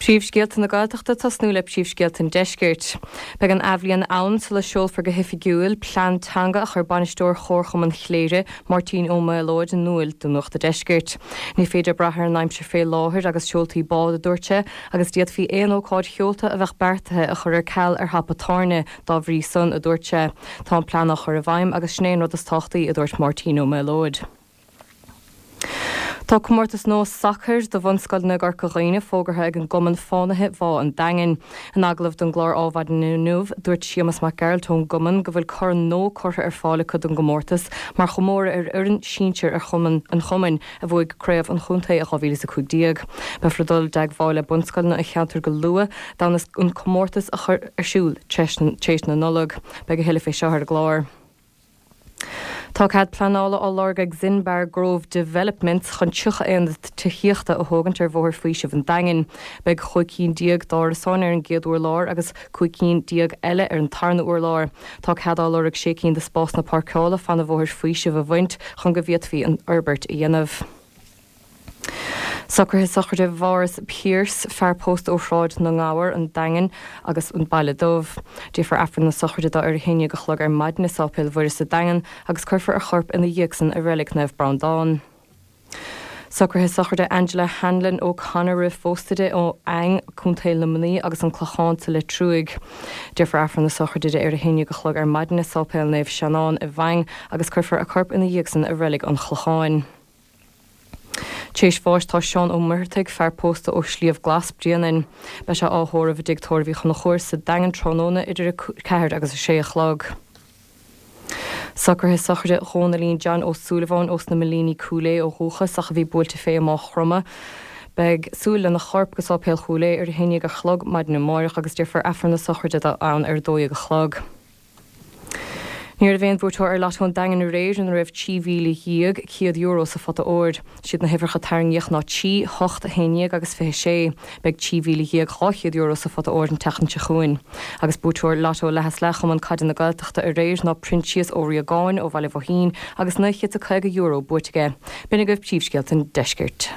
Príomhscéalta na Gaeltachta ag tosnú le príomhscéalta an Deiscirt. Beidh an athbhliain ann sula seolfar go hoifigiúil plean teanga a chuir bainisteoir Chomharchumann Chléire, Máirtín Ó Maolóid in iúl do Nuacht a' Deiscirt. Ní féidir brath ar an aimsir fé láthair agus seoltaí bád, a dúirt sé, agus d'fhéadfaí aon ócáid sheolta a bheadh beartaithe a chur ar ceal ar thapa tairne dá bhrí san, a dúirt sé. Tá an plean á chur i bhfeidhm agus sin é an rud is tábhachtaí, a dúirt Máirtín Ó Maolóid. Tá comórtas nua sacair do bhunscoileanna i gCorca Dhuibhne fógartha ag an gCumann Fánaithe Bhá an Daingin. In agallamh don gclár Ádhmhaidin inniu, dúirt Séamus Mac Gearailt ón gcumann go bhfuil corn nua curtha ar fáil acu don gcomórtas mar chomóradh ar fhoireann sinsir ar chumann an chumainn a bhuaigh craobh an chontae i 2015. Beifear ag dul i dteagmháil le bunscoileanna an cheantair go luath d'fhonn an comórtas a chur ar siúl tar éis na Nollag. Beidh a thuilleadh fé seo ar an gclár. Tá cead pleanála á lorg ag Zinbar Grove Developments chun 30 aonad tithíochta a thógaint ar Bhóthar Faoisimh an Daingin. Beidh 15 cinn d'árasáin ar an gcéad urlár agus 15 cinn eile ar an tarna urlár. Tá cead á lorg sé cinn de spásanna páirceála fan an Bhóthair Faoisimh a bhaint chun go bhféadfaí an fhorbairt a dhéanamh. Socruithe sochraide Mhaurice Pierce, fear pósta ó Shráid na nGabhar, an Daingean agus an Baile Dubh. Déarfar Aifreann na sochraide dó ar a haon dhéag a chlog ar maidin i Sáipéal Mhuire sa Daingean agus cuirfear a chorp ina dhiaidh san i Reilig Naomh Breandán. Socruithe sochraide Angela Hanlon O'Connor roimh phósta di ó Fhaing, Co. Luimnigh agus an Clochán sa Leitriúigh. Déarfar Aifreann na sochraide di ar a haon dhéag a chlog ar maidin i Sáipéal Naomh Seanán i bhFaing agus cuirfear a corp ina dhiaidh san i Reilig an Chlocháin. Tar éis bháis tá Seán Ó Muircheartaigh, fear pósta ó Shliabh Glas, Bréanainn. Beidh sé á thórramh i dTigh Tórraimh Uí Chonchúir sa Daingean tráthnóna idir 4 agus 6 a chlog. Socruithe sochraide Dhónaillín John Ó Súilleabháin ós na Millíní Cúil Aodha ó dhúchas ach a bhí buailte fé i Máigh Chromtha. Beidh súil lena chorp go Sáipéal Chúil Aodha ar a haon dhéag a chlog maidin amáireach agus déarfar Aifreann na sochraide dó ann ar a 12 a chlog. Ní raibh aon bhuaiteoir ar Lotto an Daingin aréir ina raibh €13,100 sa phota óir. Siad na huimhreacha a tarraingíodh ná 3, 8, 11 agus 26. Beidh €13,200 sa phota óir an tseachtain seo chugainn. Agus buaiteoir Lotto Leath is Leath Chumann Caide na Gaeltachta aréir ná Proinsias Ó Riagáin ó Bhaile Bhoithín agus €950 buaite aige. B'in agaibh príomhscéalta an deiscirt.